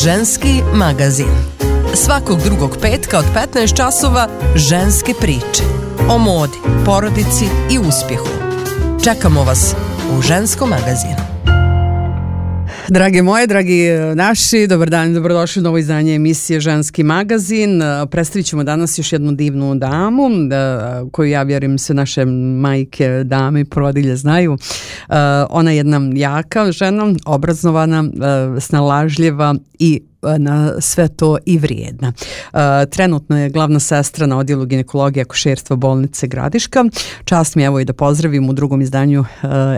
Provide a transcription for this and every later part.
Ženski magazin. Svakog drugog petka od 15 časova ženske priče. O modi, porodici i uspjehu. Čekamo vas u Ženskom magazinu. Drage moje, dragi naši, dobar dan i dobrodošli u novo izdanje emisije Ženski magazin. Predstavit ćemo danas još jednu divnu damu koju ja vjerujem sve naše majke, dame i porodilje znaju. Ona je jedna jaka žena, obrazovana, snalažljiva i na sve to i vrijedna. Trenutno je glavna sestra na odjelu ginekologije i akušerstva bolnice Gradiška. Čast mi je evo i da pozdravim u drugom izdanju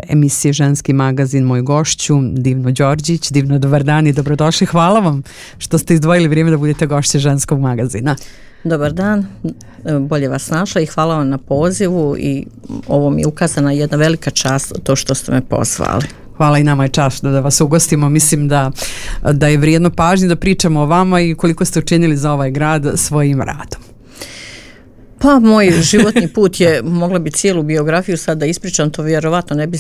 emisije Ženski magazin moju gošću Divnu Đorđić. Divno, dobar dan i dobrodošli. Hvala vam što ste izdvojili vrijeme da budete gošće Ženskog magazina. Dobar dan, bolje vas našla i hvala vam na pozivu i ovo mi je ukazana jedna velika čast to što ste me pozvali. Hvala i nama je čast da vas ugostimo. Mislim da je vrijedno pažnje da pričamo o vama i koliko ste učinili za ovaj grad svojim radom. Pa moj životni put je, mogla bi cijelu biografiju sad da ispričam, to vjerovatno ne bi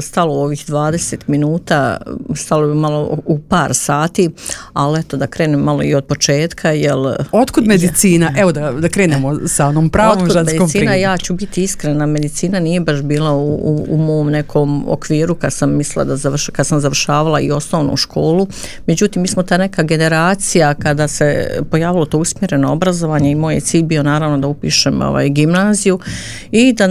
stalo u ovih 20 minuta, stalo bi malo u par sati, ali eto da krenem malo i od početka. Otkud medicina? Evo da krenemo sa onom pravom ženskom primjerom. Otkud medicina, ja ću biti iskrena, medicina nije baš bila u mom nekom okviru kad sam mislila kad sam završavala i osnovnu školu. Međutim, mi smo ta neka generacija kada se pojavilo to usmjereno obrazovanje i moj je cilj bio naravno da upišem gimnaziju i da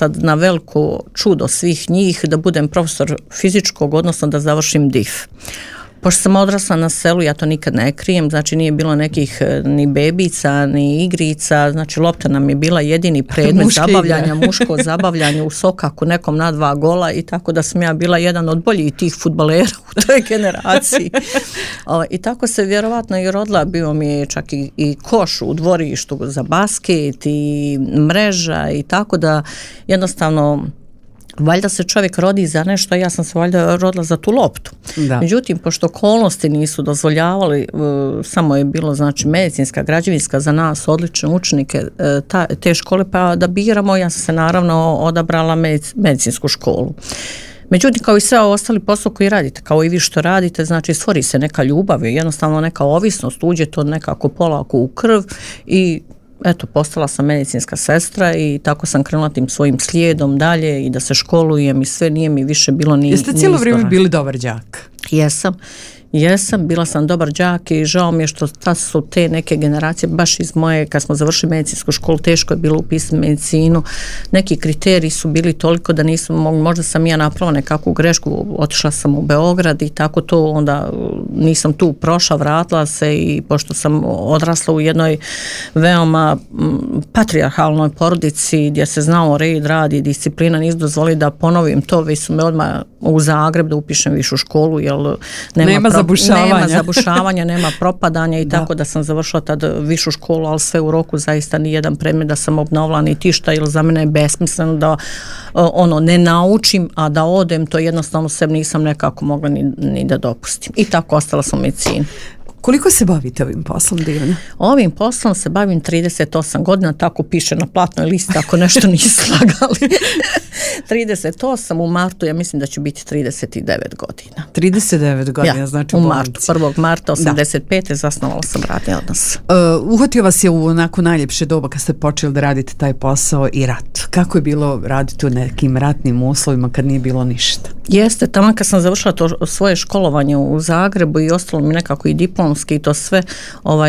na veliko čudo svih njih da budem profesor fizičkog, odnosno da završim DIF. Pošto sam odrasla na selu, ja to nikad ne krijem, znači nije bilo nekih ni bebica, ni igrica, znači lopta nam je bila jedini predmet zabavljanja, muško zabavljanje u sokaku nekom na 2 gola i tako da sam ja bila jedan od boljih tih fudbalera u toj generaciji. I tako se vjerovatno i rodila, bio mi je čak i koš u dvorištu za basket i mreža i tako da jednostavno valjda se čovjek rodi za nešto, ja sam se valjda rodila za tu loptu. Da. Međutim, pošto okolnosti nisu dozvoljavali, samo je bilo znači medicinska, građevinska za nas odlične učenike te škole, pa da biramo, ja sam se naravno odabrala medicinsku školu. Međutim, kao i sve ostali posao koji radite, kao i vi što radite, znači stvori se neka ljubav, jednostavno neka ovisnost, uđe to nekako polako u krv i eto, postala sam medicinska sestra i tako sam krenula tim svojim slijedom dalje i da se školujem i sve, nije mi više bilo ni... Jeste cijelo vrijeme bili dobar đak? Jesam, bila sam dobar đak i žao mi je što su te neke generacije, baš iz moje, kad smo završili medicinsku školu, teško je bilo upisati medicinu, neki kriteriji su bili toliko da nisam, možda sam ja napravila nekakvu grešku, otišla sam u Beograd i tako to, onda nisam tu prošla, vratila se i pošto sam odrasla u jednoj veoma patrijarhalnoj porodici gdje se znao red, rad i disciplina, nisu dozvolili da ponovim to, već su me odmah u Zagreb da upišem višu školu, jer nema zabušavanja, nema propadanja i tako da sam završila tad višu školu, ali sve u roku, zaista ni jedan predmet da sam obnovila ni tišta, jer za mene je besmisleno da ne naučim, a da odem, to jednostavno sebi nisam nekako mogla ni da dopustim. I tako ostala sam u medicini. Koliko se bavite ovim poslom, Divna? Ovim poslom se bavim 38 godina, tako piše na platnoj listi, ako nešto nisu slagali. 38 u martu, ja mislim da će biti 39 godina. 39 godina, ja, znači u martu, 1. marta 85. zasnovala sam radni odnos. Uhvatio vas je u onako najljepše doba kad ste počeli da radite taj posao i rat. Kako je bilo raditi u nekim ratnim uslovima kad nije bilo ništa? Jeste, tamo kad sam završila to svoje školovanje u Zagrebu i ostalo mi nekako i diplomski i to sve,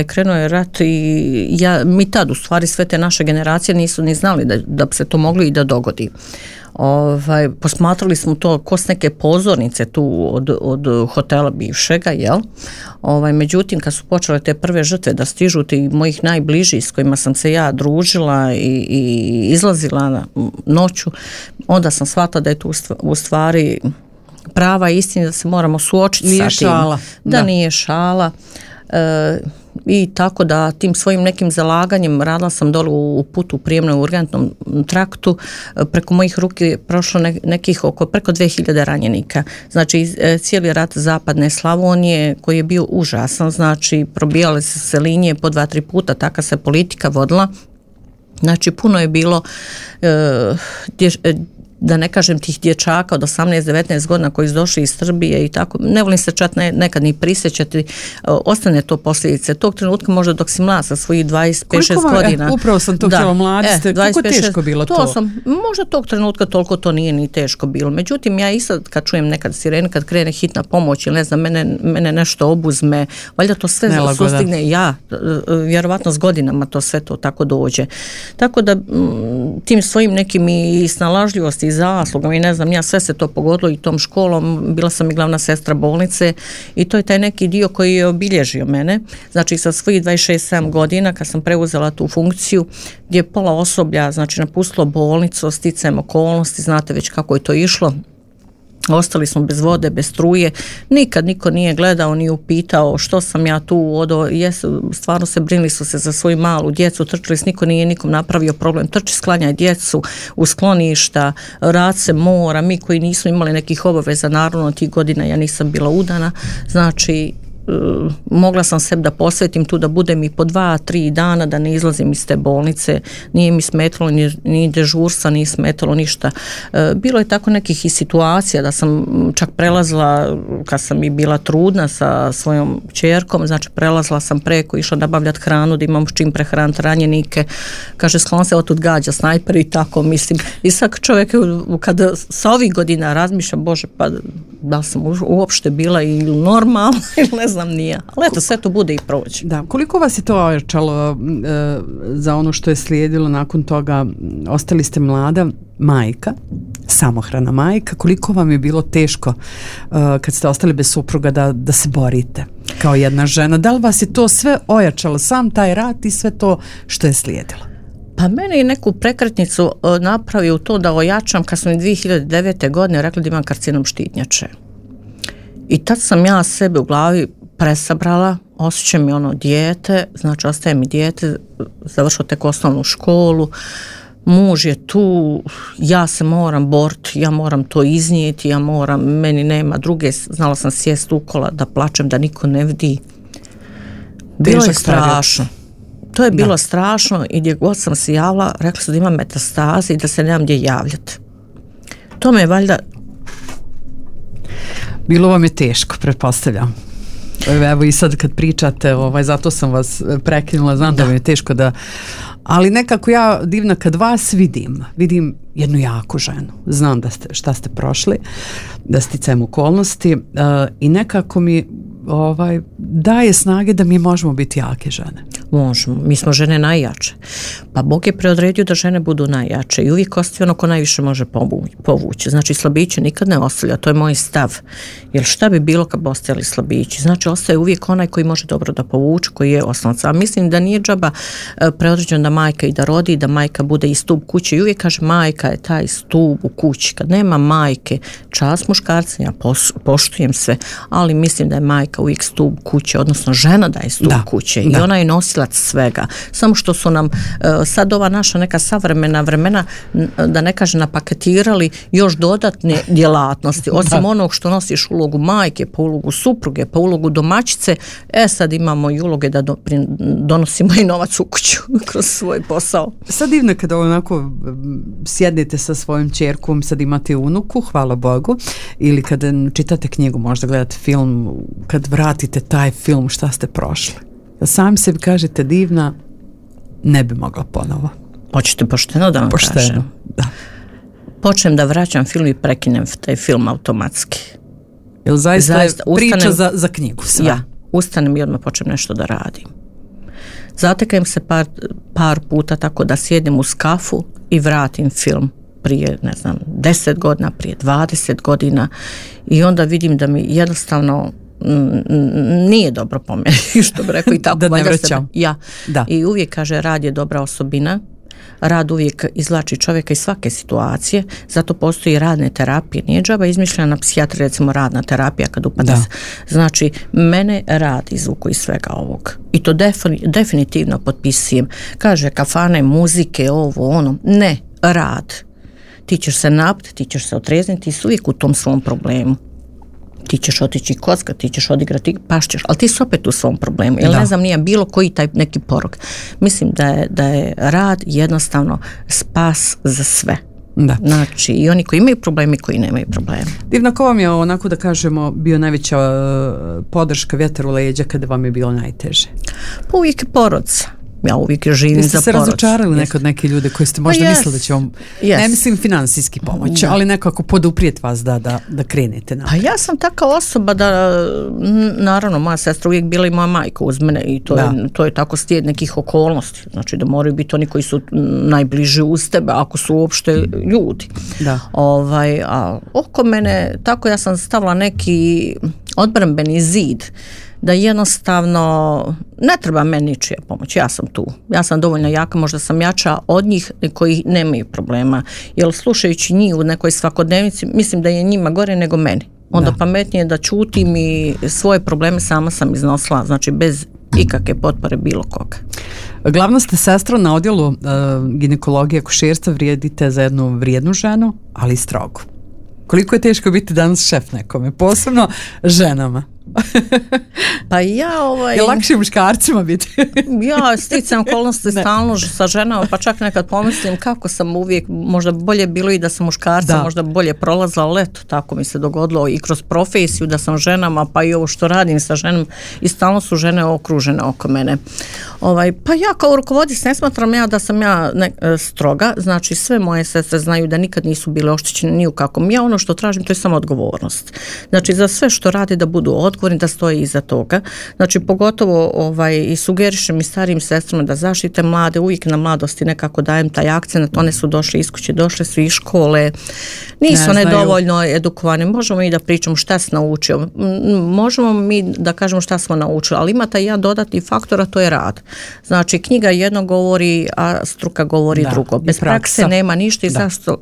krenuo je rat i mi tad u stvari sve te naše generacije nisu ni znali da se to moglo i da dogodi. Posmatrali smo to ko s neke pozornice tu od hotela bivšega, jel? Međutim, kad su počele te prve žrtve da stižu ti mojih najbližih s kojima sam se ja družila i izlazila na noću, onda sam shvatila da je tu u stvari prava istina, da se moramo suočiti nije sa tim. Šala. Da nije šala. I tako da tim svojim nekim zalaganjem radila sam dole u putu u prijemnom urgentnom traktu, preko mojih ruki je prošlo nekih preko 2000 ranjenika. Znači cijeli rat zapadne Slavonije koji je bio užasan, znači probijale se linije po 2-3 puta, taka se politika vodila. Znači puno je bilo da ne kažem tih dječaka od 18-19 godina koji su došli iz Srbije i tako, ne volim se čak nekad ni prisjećati, ostane to posljedice. Tog trenutka možda dok si mlad sa svojih 25-6 godina. Upravo sam to htjela, mladi ste, koliko teško bilo to? Možda tog trenutka toliko to nije ni teško bilo. Međutim, ja i sad kad čujem nekad sirene, kad krene hitna pomoć ili ne znam, mene nešto obuzme, valjda to sve sustigne, vjerovatno s godinama to sve to tako dođe. Tako da tim svojim nekim i snalažljivosti i zaslugom i ne znam, ja sve se to pogodilo i tom školom, bila sam i glavna sestra bolnice i to je taj neki dio koji je obilježio mene. Znači sa svojih 26-7 godina kad sam preuzela tu funkciju gdje je pola osoblja znači napustilo bolnicu, sticajem okolnosti, znate već kako je to išlo. Ostali smo bez vode, bez struje, nikad niko nije gledao ni upitao što sam ja tu stvarno se brinili su se za svoju malu djecu, trčali se, niko nije nikom napravio problem, trči sklanjaj djecu u skloništa, rad se mora, mi koji nismo imali nekih obaveza, naravno tih godina ja nisam bila udana, znači mogla sam sebi da posvetim tu da budem i po 2-3 dana da ne izlazim iz te bolnice, nije mi smetalo ni dežurstva, nije smetalo ništa. Bilo je tako nekih i situacija da sam čak prelazila kad sam i bila trudna sa svojom kćerkom, znači prelazila sam preko, išla nabavljati hranu da imam s čim prehraniti ranjenike, kaže sklon se otud gađa snajper i tako mislim. I sad čovjek kada sa ovih godina razmišlja, Bože, pa da sam uopšte bila ili normalna ili ne znam nije, ali eto sve to bude i proći. Da, koliko vas je to ojačalo za ono što je slijedilo nakon toga? Ostali ste mlada majka, samohrana majka, koliko vam je bilo teško kad ste ostali bez supruga da se borite kao jedna žena? Da li vas je to sve ojačalo, sam taj rat i sve to što je slijedilo? Pa meni je neku prekretnicu napravio to da ojačam kad sam 2009. godine rekla da imam karcinom štitnjače. I tad sam ja sebe u glavi presabrala, osjećam mi ono dijete, znači ostaje mi dijete, završio tek osnovnu školu, muž je tu, ja se moram boriti, ja moram to iznijeti, meni nema druge, znala sam sjest u kola da plačem, da niko ne vidi. Bilo je strašno. To je bilo strašno i gdje god sam se javila, rekli su da imam metastaze i da se nemam gdje javljati. To me je valjda... Bilo vam je teško, pretpostavljam. Evo i sad kad pričate, zato sam vas prekinula, znam da vam je teško da... Ali nekako ja divna kad vas vidim jednu jaku ženu. Znam šta ste prošli, da sticajem okolnosti i nekako mi daje snage da mi možemo biti jake žene. Možemo, mi smo žene najjače. Pa Bog je preodredio da žene budu najjače i uvijek ostaje ono ko najviše može povući. Znači slabiće nikad ne ostavlja, to je moj stav. Jer šta bi bilo kad bi ostajali slabići? Znači ostaje uvijek onaj koji može dobro da povuče, koji je osnovac. A mislim da nije džaba preodređeno da majka i da rodi, da majka bude i stup kuće. I uvijek kaže majka je taj stup u kući. Kad nema majke, čast muškarca, ja poštujem sve, ali mislim da je majka uvijek stup kuće, odnosno žena da je stup kuće i ona je nosilac svega. Samo što su nam sad ova naša neka savremena vremena, da ne kaže napaketirali još dodatne djelatnosti, osim onog što nosiš ulogu majke, pa ulogu supruge, pa ulogu domaćice, sad imamo i uloge da donosimo i novac u kuću kroz svoj posao. Sad divno kada onako sjednete sa svojom ćerkom, sad imate unuku, hvala Bogu, ili kada čitate knjigu, možda gledate film, kad vratite taj film, šta ste prošli? Sami sebi kažete divna, ne bi mogla ponovo. Hoćete pošteno da vam kažem? Da. Počnem da vraćam film i prekinem taj film automatski. Jel zaista priča za knjigu sve? Ja, ustanem i odmah počnem nešto da radim. Zatekam se par puta tako da sjedim uz kafu i vratim film prije, 10 godina, prije 20 godina i onda vidim da mi jednostavno nije dobro po meni, što bi rekao i tako. Da ne vraćam. I uvijek kaže rad je dobra osobina, rad uvijek izvlači čovjeka iz svake situacije, zato postoji radne terapije, nije džaba izmišljena na psihijatri, recimo radna terapija kad upada se. Znači, mene rad izvuku iz svega ovog. I to definitivno potpisujem. Kaže kafane, muzike, ovo, ono. Ne, rad. Ti ćeš se napiti, ti ćeš se otrezniti, ti si uvijek u tom svom problemu. Ti ćeš otići kocka, ti ćeš odigrati, pašćeš, ali ti si opet u svom problemu. Jer ne znam, nije bilo koji taj neki porok. Mislim da je rad jednostavno spas za sve. Da. Znači, i oni koji imaju probleme i koji nemaju probleme. Divna, ko vam je onako da kažemo bio najveća podrška, vjetar u leđa kada vam je bilo najteže? Pa uvijek je porodica. Ja uvijek živim za porodicu. Jeste se razočarali nekad neke ljude koji ste možda mislili da će vam, ne mislim finansijski pomoć, ali nekako poduprijeti vas da krenete na. Pa ja sam taka osoba da, naravno, moja sestra uvijek bila i moja majka uz mene i to je tako slijed nekih okolnosti. Znači da moraju biti oni koji su najbliži uz tebe, ako su uopšte ljudi. Da. A oko mene, tako ja sam stavila neki odbrambeni zid, da jednostavno ne treba meni ničija pomoć, ja sam tu. Ja sam dovoljno jaka, možda sam jača od njih koji nemaju problema. Jer slušajući njih u nekoj svakodnevnici, mislim da je njima gore nego meni. Onda pametnije da čutim i svoje probleme sama sam iznosila, znači bez ikakve potpore bilo koga. Glavna ste sestra na odjelu ginekologije i akušerstva, vrijedite za jednu vrijednu ženu, ali i strogu. Koliko je teško biti danas šef nekome, posebno ženama? Pa ja je lakše muškarcima biti. Ja sticam okolnosti stalno sa ženama, pa čak nekad pomislim kako sam uvijek, možda bolje bilo i da sam muškarca, možda bolje prolazila, ali eto, tako mi se dogodilo i kroz profesiju da sam ženama, pa i ovo što radim sa ženom i stalno su žene okružene oko mene. Pa ja kao rukovoditelj ne smatram da sam stroga, znači sve moje sestre znaju da nikad nisu bile oštećene ni u kakvom. Ja ono što tražim, to je samo odgovornost. Znači za sve što radi da budu odgovorni, da stoji iza toga. Znači pogotovo i sugerišem i starijim sestrama da zaštite mlade, uvijek na mladosti nekako dajem taj akcent, one su došle iz kuće, došle su iz škole, nisu one dovoljno edukovane, možemo i da pričamo šta se naučio, možemo mi da kažemo šta smo naučili, ali ima taj jedan dodatni faktor, a to je rad. Znači knjiga jedno govori, a struka govori drugo. Bez prakse nema ništa i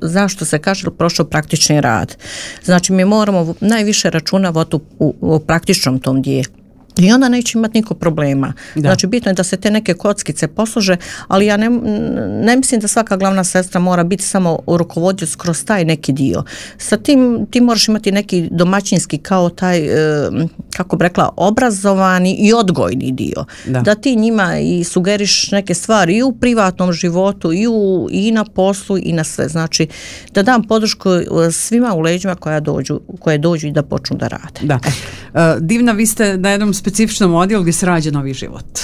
zašto se kaže prošao praktični rad. Znači mi moramo najviše računavati u praktičnom tom dijelu. I onda neće imati niko problema. Znači bitno je da se te neke kockice poslože, ali ja ne mislim da svaka glavna sestra mora biti samo rukovodioc kroz taj neki dio. Sa tim ti moraš imati neki domaćinski kao taj, kako bi rekla, obrazovani i odgojni dio. Da ti njima i sugeriš neke stvari i u privatnom životu i na poslu i na sve. Znači da dam podršku svima u leđima koje dođu i da počnu da rade. Da. Divna, vi ste na jednom specifičnom odjelu gdje se rađa novi život.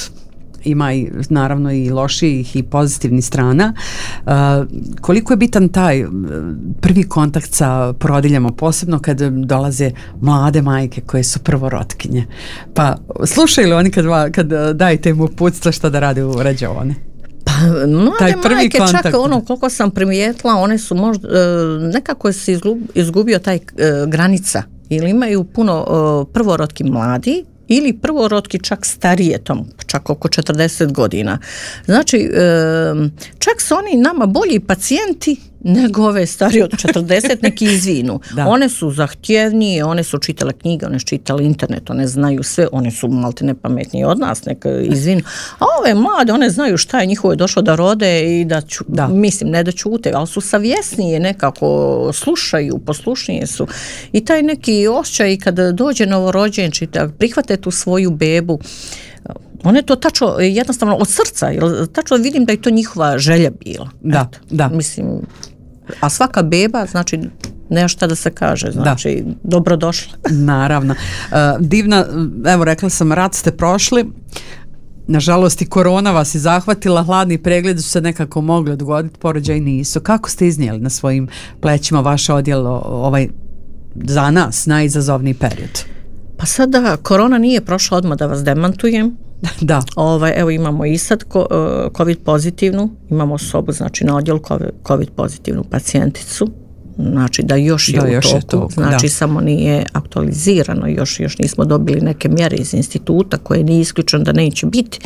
Ima i naravno i loših i pozitivnih strana. Koliko je bitan taj prvi kontakt sa porodiljama, posebno kad dolaze mlade majke koje su prvorotkinje? Pa slušaju li oni kad dajete im uputstva šta da rade u rađaoni? Pa mlade majke čak koliko sam primijetila, one su možda nekako se izgubio taj granica ili imaju puno prvorotki mladi ili prvorotki čak starije, čak oko 40 godina. Znači, čak su oni nama bolji pacijenti nego ove starije od 40, neki izvinu. One su zahtjevnije, one su čitale knjige, one su čitale internet, one znaju sve, one su maltene pametnije od nas, neka izvinu. A ove mlade, one znaju šta je njihovo došlo da rode i mislim, ne da ćute, ali su savjesnije nekako, slušaju, poslušnije su. I taj neki osjećaj kada dođe novorođenči, da prihvate tu svoju bebu, one to tačno, jednostavno od srca, tačno vidim da je to njihova želja bila. Da. Mislim, a svaka beba, znači, nema šta da se kaže, znači, dobrodošla. Naravno. Divna, evo rekla sam, rat ste prošli, nažalost i korona vas je zahvatila, hladni pregledi su se nekako mogli odgoditi, porođaji nisu. Kako ste iznijeli na svojim plećima vaše odjelo za nas najizazovniji period? Pa sada korona nije prošla, odmah da vas demantujem. Da. Evo imamo i sad COVID pozitivnu, imamo sobu, znači na odjelu COVID pozitivnu pacijenticu, znači da još je u toku, znači samo nije aktualizirano, još nismo dobili neke mjere iz instituta koje nije isključeno da neće biti,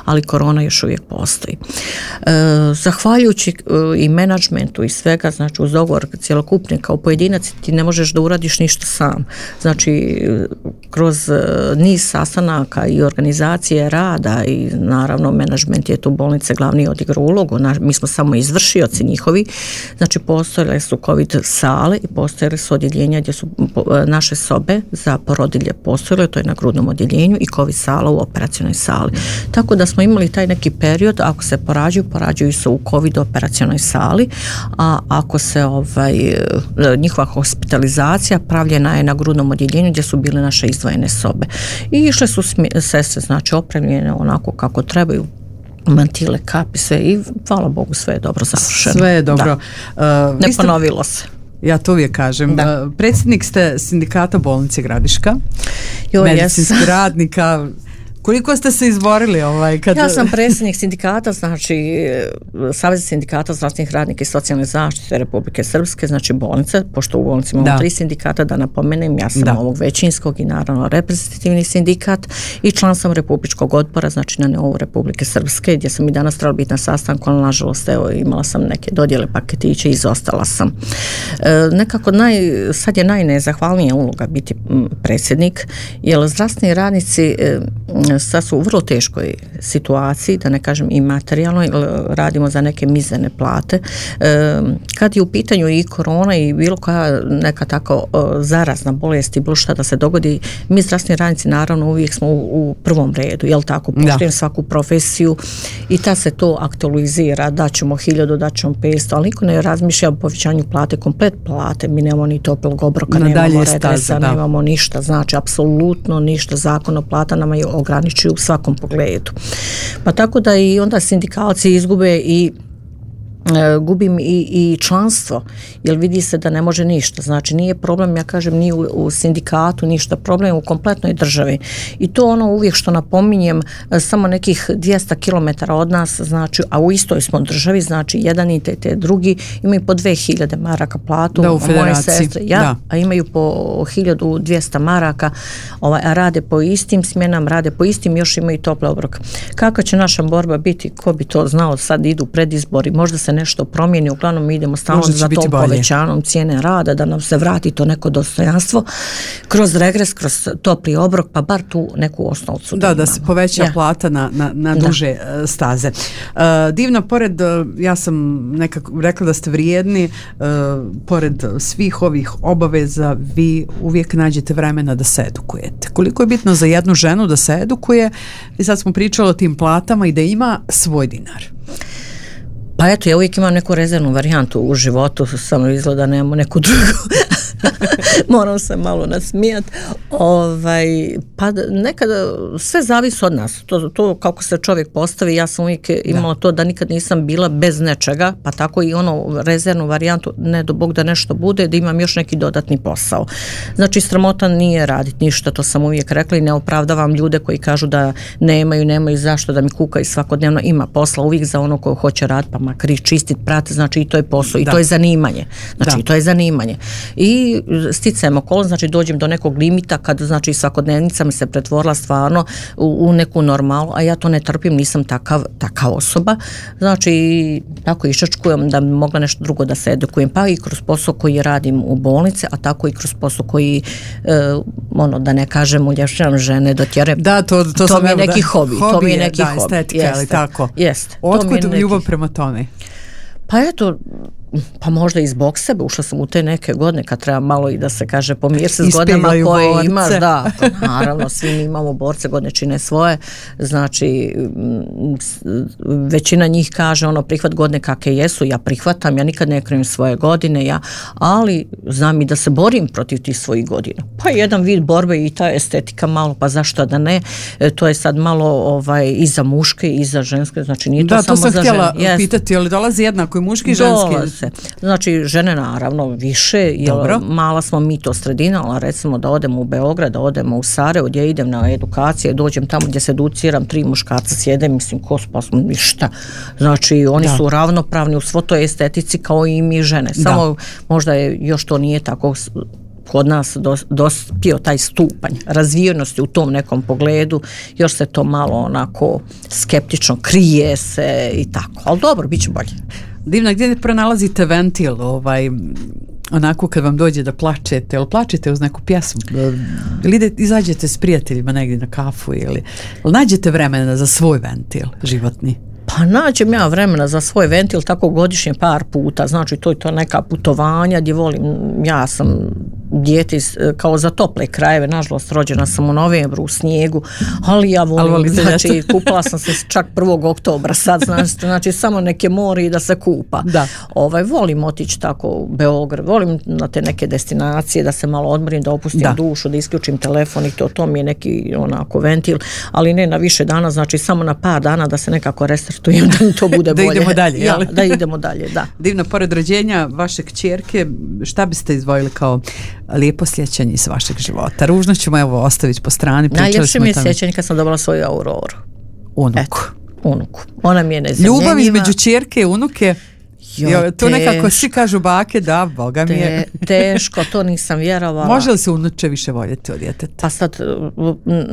ali korona još uvijek postoji. Zahvaljujući i menadžmentu i svega, znači uz dogovor cjelokupni kao pojedinac ti ne možeš da uradiš ništa sam. Znači kroz niz sastanaka i organizacije rada i naravno menadžment je tu bolnice glavni odigrao ulogu, mi smo samo izvršioci njihovi, znači postojale su COVID sale i postojale su odjeljenja gdje su naše sobe za porodilje postojale, to je na grudnom odjeljenju, i COVID sala u operacionoj sali. Tako da smo imali taj neki period, ako se porađuju se u COVID operacionoj sali, a ako se njihova hospitalizacija pravljena je na grudnom odjeljenju gdje su bile naše izdvojene sobe. I išle su sestre, znači opremljene onako kako trebaju, mantile, kapi, sve, i hvala Bogu sve je dobro završeno. Sve je dobro. Ne ponovilo se. Ja to uvijek kažem. Predsjednik ste sindikata bolnice Gradiška, medicinskih radnika. Koliko ste se izborili? Ja sam predsjednik sindikata, znači Saveza sindikata zdravstvenih radnika i socijalne zaštite Republike Srpske, znači bolnice, pošto u bolnici imamo 3 sindikata, da napomenem, ja sam ovog većinskog i naravno reprezentativni sindikat, i član sam Republičkog odbora, znači na nivou Republike Srpske, gdje sam i danas trebala biti na sastanku, ali nažalost imala sam neke dodjele paketiće i izostala sam. Nekako sad je najnezahvalnija uloga biti predsjednik, jer zdravstveni radnici sad su u vrlo teškoj situaciji, da ne kažem i materijalno, radimo za neke mizerne plate. Kad je u pitanju i korona i bilo koja neka tako zarazna bolest i bilo šta da se dogodi, mi zdravstveni radnici naravno uvijek smo u prvom redu, jel tako, poštujem svaku profesiju i ta se to aktualizira, daćemo 1000, daćemo 500, ali niko ne razmišlja o povećanju plate, komplet plate, mi nemamo ni toplog obroka, nemamo regresa, nemamo ništa, znači apsolutno ništa, zakon o plata nama je ograničuju u svakom pogledu. Pa tako da i onda sindikalci izgube i gubim i članstvo, jer vidi se da ne može ništa. Znači nije problem, ja kažem, ni u sindikatu ništa, problem u kompletnoj državi. I to uvijek što napominjem, samo nekih 200 km od nas, znači, a u istoj smo državi, znači jedan i te drugi imaju po 2000 maraka platu, u moje sestre, a imaju po 1200 maraka, a rade po istim smjenama, rade po istim, još imaju tople obroke. Kako će naša borba biti, ko bi to znao, sad idu predizbori, možda se nešto promijeni, uglavnom mi idemo stalno za tom povećanom cijene rada, da nam se vrati to neko dostojanstvo kroz regres, kroz topli obrok, pa bar tu neku osnovcu. Da se poveća plata na duže staze. Divna, pored, ja sam nekako rekla da ste vrijedni, pored svih ovih obaveza, vi uvijek nađete vremena da se edukujete. Koliko je bitno za jednu ženu da se edukuje, i sad smo pričali o tim platama i da ima svoj dinar. Pa eto, ja uvijek imam neku rezervnu varijantu u životu, samo izgleda nemamo neku drugu. Moram se malo nasmijat. Pa nekada sve zavisi od nas. To kako se čovjek postavi, ja sam uvijek imala to da nikad nisam bila bez nečega, pa tako i rezervnu varijantu, ne do Bog da nešto bude, da imam još neki dodatni posao. Znači sramota nije raditi ništa, to sam uvijek rekla, i ne opravdavam ljude koji kažu da nemaju zašto, da mi kukaju svakodnevno. Ima posla uvijek za ono ko hoće raditi, pa makar i čistit, prati, znači i to je posao, i to je zanimanje. Znači to je zanimanje. I sticajem okolnosti, znači dođem do nekog limita kad, znači, svakodnevnica mi se pretvorila stvarno u neku normalu, a ja to ne trpim, nisam takav osoba, znači tako iščačkujem da bi mogla nešto drugo da se edukujem, pa i kroz posao koji radim u bolnici, a tako i kroz posao koji da ne kažem, uljepšavam žene do tjere. Da, to mi je neki hobi. To mi je neki hobi. Estetika, ali tako. Jeste. Otkud ljubav prema tome? Pa eto, pa možda i zbog sebe, ušla sam u te neke godine kad treba malo i da se kaže pomir se s godinama koje borce. Imaš, da, naravno svi mi imamo borce, godine čine svoje, znači većina njih kaže prihvat godine kakve jesu, ja prihvatam, ja nikad ne krivim svoje godine, ali znam i da se borim protiv tih svojih godina. Pa jedan vid borbe i ta estetika malo, pa zašto da ne, to je sad malo i za muške i za ženske, znači nije to samo za žene. Da, to sam htjela pitati, ali dolazi jednako i muški i ženski? Znači žene naravno više, jer mala smo mi to sredina, ali recimo da odemo u Beograd, da odemo u Sarajevo, gdje idem na edukacije, dođem tamo gdje se educiram, 3 muškarca sjede, mislim pa smo ništa, znači oni su ravnopravni u svo toj estetici kao i mi žene, samo možda još to nije tako kod nas dospio taj stupanj razvijenosti u tom nekom pogledu, još se to malo onako skeptično krije se i tako, ali dobro, bit će bolje. Divna, gdje pronalazite ventil, onako kad vam dođe da plačete, ili plačete uz neku pjesmu, ili izađete s prijateljima negdje na kafu, ili nađete vremena za svoj ventil životni? Pa nađem ja vremena za svoj ventil tako godišnje par puta, znači to je to neka putovanja gdje volim, ja sam dijete kao za tople krajeve, nažalost rođena sam u novembru u snijegu, ali ja volim, znači kupala sam se čak 1. oktobra sad, znači samo neke more i da se kupa. Da. Volim otići tako u Beograd, volim na te neke destinacije da se malo odmorim, da opustim dušu, da isključim telefon i to mi je neki onako ventil, ali ne na više dana, znači samo na par dana da se nekako restartujem, da mi to bude bolje. Da idemo dalje, ja, da idemo dalje, da. Divno, pored rođenja vaše kćerke, šta biste izdvojili kao lijepo sjećanje iz vašeg života? Ružno ćemo evo ostaviti po strani. Najljepše mi je sjećanje kad sam dobila svoju Auroru. Unuku. Ona mi je nezamjenjiva. Ljubav između ćerke i unuke. To nekako svi kažu bake, da, Boga mi je. Teško, to nisam vjerovala. Može li se unuče više voljeti od djeteta? Pa sad,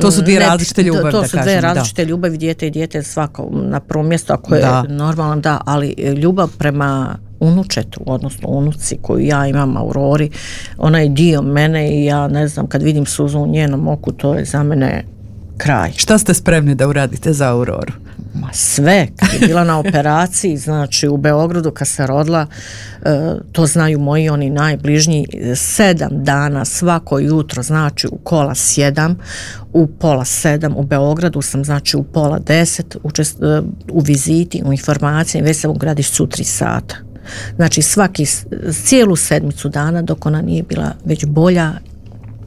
to su dvije različite ljubavi, to su dvije različite ljubavi, dijete i dijete svako na prvom mjestu, ako je normalno, da, ali ljubav prema unučetu, odnosno unuci koju ja imam, Aurori, ona je dio mene i ja ne znam, kad vidim suzu u njenom oku, to je za mene kraj. Šta ste spremni da uradite za Auroru? Ma sve, kad je bila na operaciji, znači u Beogradu kad se rodila, to znaju moji oni najbližnji, 7 dana svako jutro, znači u 6:45, u 6:30 u Beogradu sam, znači u 9:30 u viziti, u informaciji, već sam u Gradišcu 3 sata. Znači cijelu sedmicu dana dok ona nije bila već bolja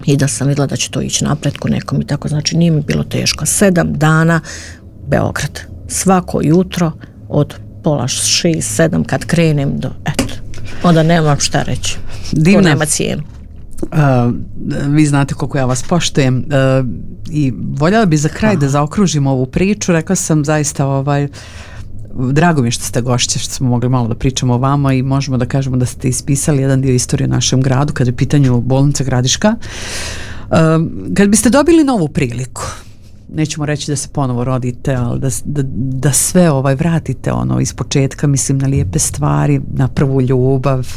i da sam vidjela da će to ići napretku nekom i tako, znači nije mi bilo teško. 7 dana Beograd. Svako jutro od 5:30, 7 kad krenem do, onda nemam šta reći. Divna. To nema cijenu. Vi znate koliko ja vas poštujem i voljela bi za kraj da zaokružimo ovu priču. Rekla sam zaista drago mi je što ste gošće, što smo mogli malo da pričamo o vama i možemo da kažemo da ste ispisali jedan dio istorije u našem gradu kada je u pitanju bolnica Gradiška. Kad biste dobili novu priliku, nećemo reći da se ponovo rodite, ali da sve vratite iz početka, mislim na lijepe stvari, na prvu ljubav,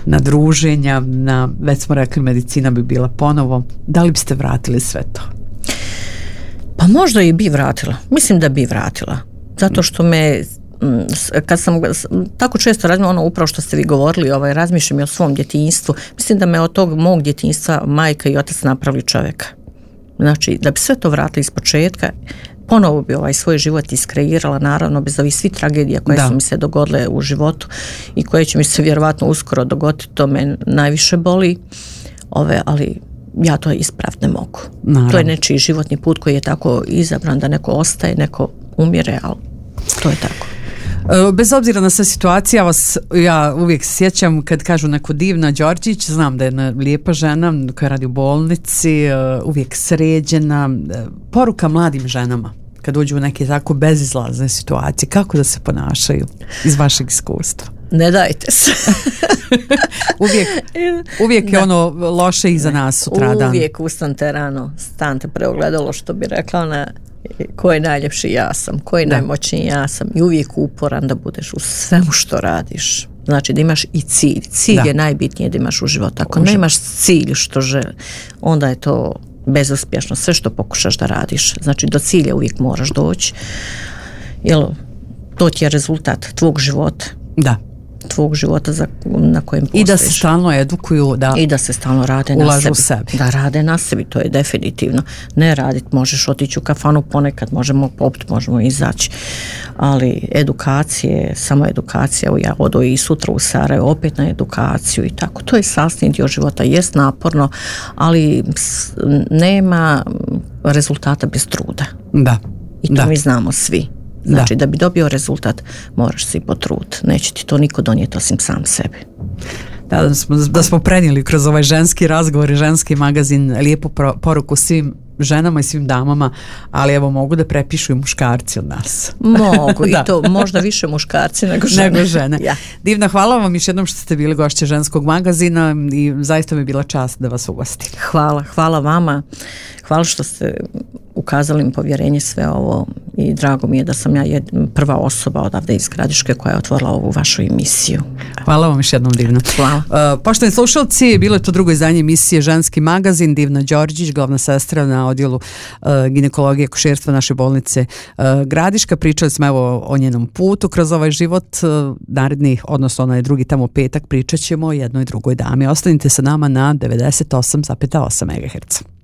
na druženja, na, već smo rekli, medicina bi bila ponovo, da li biste vratili sve to? Pa možda i bi vratila, mislim da bi vratila, zato što me, kad sam tako često razmišljam, upravo što ste vi govorili, razmišljam i o svom djetinjstvu, mislim da me od tog mog djetinjstva majka i otac napravili čovjeka. Znači, da bi sve to vratili iz početka, ponovo bi svoj život iskreirala, naravno, bez ovih svih tragedija koje su mi se dogodile u životu i koje će mi se vjerovatno uskoro dogoditi, to me najviše boli, ali ja to ispraviti ne mogu. Naravno. To je nečiji životni put koji je tako izabran da neko ostaje, neko umire, ali to je tako. Bez obzira na sve situacije, ja uvijek sjećam kad kažu neko Divna Đorđić, znam da je jedna lijepa žena koja radi u bolnici, uvijek sređena. Poruka mladim ženama kad uđu u neke tako bezizlazne situacije, kako da se ponašaju iz vašeg iskustva? Ne dajte se. uvijek je ono loše iza nas sutradan. Uvijek ustanite rano, stante preogledalo, što bi rekla ona, ko je najljepši, ja sam, ko je najmoćniji, ja sam, i uvijek uporan da budeš u svemu što radiš. Znači da imaš i cilj. Cilj je najbitnije da imaš u životu. Ako nemaš cilj što želi, onda je to bezuspješno. Sve što pokušaš da radiš. Znači do cilja uvijek moraš doći. Jel, to ti je rezultat tvog života. Da. Tvog života na kojem postojiš. I da se stalno edukuju, i da se stalno rade ulažu na sebi. U sebi. Da rade na sebi, to je definitivno. Ne raditi, možeš otići u kafanu ponekad, možemo popiti, možemo izaći, ali edukacije, samo edukacija, ja odo i sutra u Sarajevo opet na edukaciju i tako. To je sastavni dio života, jest naporno, ali nema rezultata bez truda. Da. I to mi znamo svi. Znači da bi dobio rezultat moraš se i potruditi. Neće ti to niko donijeti osim sam sebi. Da smo prenijeli kroz ovaj ženski razgovor i ženski magazin lijepu poruku svim ženama i svim damama, ali evo mogu da prepišu i muškarci od nas. Mogu i to možda više muškarci nego žene. Ja. Divna, hvala vam još jednom što ste bili gošće ženskog magazina i zaista mi je bila čast da vas ugostim. Hvala vama. Hvala što ste ukazali mi povjerenje sve ovo i drago mi je da sam ja prva osoba odavde iz Gradiške koja je otvorila ovu vašu emisiju. Hvala vam još jednom, Divna. Hvala. Poštovani slušalci, bilo je to drugo izdanje emisije Ženski magazin. Divna Đorđić, glavna sestra na odjelu ginekologije i akušerstva naše bolnice Gradiška. Pričali smo evo o njenom putu kroz ovaj život. Naredni, odnosno onaj drugi tamo petak, pričat ćemo o jednoj drugoj dami. Ostanite sa nama na 98,8 MHz.